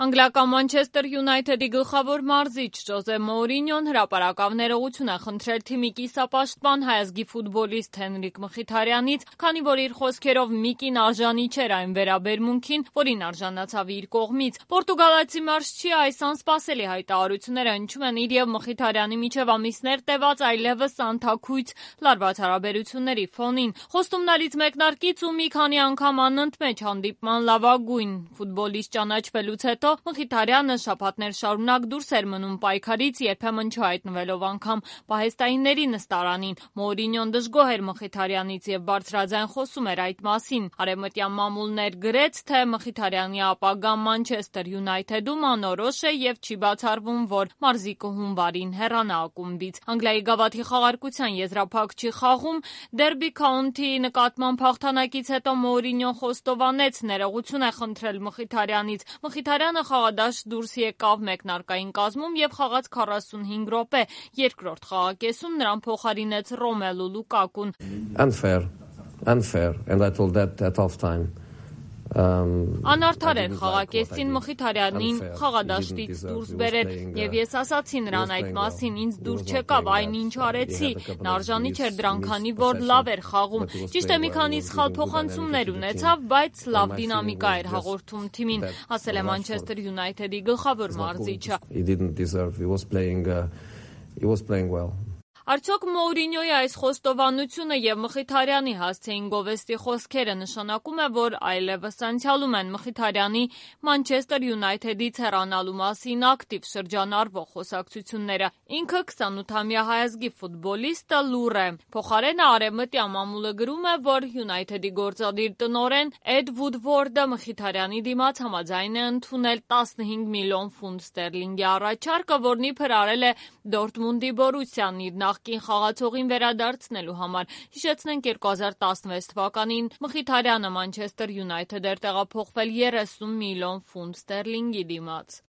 Անգլիական Մանչեսթեր Յունայթեդի գլխավոր մարզիչ Ժոզե Մոուրինյոն հրապարակավ ներողություն է խնդրել թիմի կիսապաշտպան հայազգի ֆուտբոլիստ Հենրիկ Մխիթարյանից, քանի որ իր խոսքերով Միկին արժանի չէր այն վերաբերմունքին, որին արժանացավ իր կողմից։ Պորտուգալացի մարզչի այս անսպասելի հայտարարությունները հնչում են իր եւ Մխիթարյանի միջև ամիսներ տևած այլևս անթաքույց լարված հարաբերությունների ֆոնին։ Խոստումնալից մեկնարկից ու մի քանի անգամ անընդմեջ հանդիպման լավագույն ֆուտբոլիստ ճանաչվելուց հետո Մխիթարյանը շաբաթներ շարունակ դուրս էր մնում պայքարից, երբեմն չհայտնվելով անգամ պահեստայինների նստարանին։ Մոուրինյոն դժգոհ էր Մխիթարյանից եւ բարձրաձայն խոսում էր այդ մասին։ Արևմտյան մամուլներ գրեց, թե Մխիթարյանի ապագան Մանչեսթեր Յունայթեդում անորոշ է եւ չի բացառվում, որ մարզիկը հունվարին հեռանա ակումբից։ Անգլիայի գավաթի խաղարկության եզրափակչի խաղում Դերբի Քաունթիի նկատմամբ հաղթանակից հետո Մոուրինյոն խոստովանեց, ներողություն է խնդրել Մխիթարյանից։ Մխիթարյանը խաղադաշտ դուրս եկավ մեկնարկային կազմում եւ խաղաց 45 րոպե։ Երկրորդ խաղակեսում նրան փոխարինեց Ռոմելու Լուկակուն։ Unfair, and I told that at half time. Անարդար էր խաղակեսին Մխիթարյանին խաղադաշտից դուրս բերել եւ ես ասացի նրան այդ մասին, ինձ դուր չեկավ այն ինչ արեցի, նա արժանի չէր դրան, քանի որ լավ էր խաղում։ Ճիշտ է, մի քանի սխալ փոխանցումներ ունեցավ, բայց լավ դինամիկա էր հաղորդում թիմին, ասել է Մանչեսթեր Յունայթեդի գլխավոր մարզիչը։ He was playing well. Արդյոք Մոուրինյոյի այս խոստովանությունը եւ Մխիթարյանի հասցեին գովեստի խոսքերը նշանակում է, որ այլևս անցյալում են Մխիթարյանի Մանչեսթեր Յունայթեդից հեռանալու մասին ակտիվ շրջանառվող խոսակցությունները։ Ինքը 28-ամյա հայազգի ֆուտբոլիստը լուռ է։ Փոխարենը արևմտյան մամուլը գրում է, որ Յունայթեդի գործադիր տնօրեն Էդ Վուդվորդը Մխիթարյանի դիմաց համաձայն է ընդունել 15 միլիոն ֆունտ ստերլինգի առաջարկը, որն իբր արել է Դորտմունդի Բորուսիան իր նախկին խաղացողին վերադարձնելու համար։ Հիշեցնենք 2016 թվականին Մխիթարյանը Մանչեսթեր Յունայթեդ էր տեղափոխվել 30 միլիոն ֆունտ ստերլինգի դիմաց։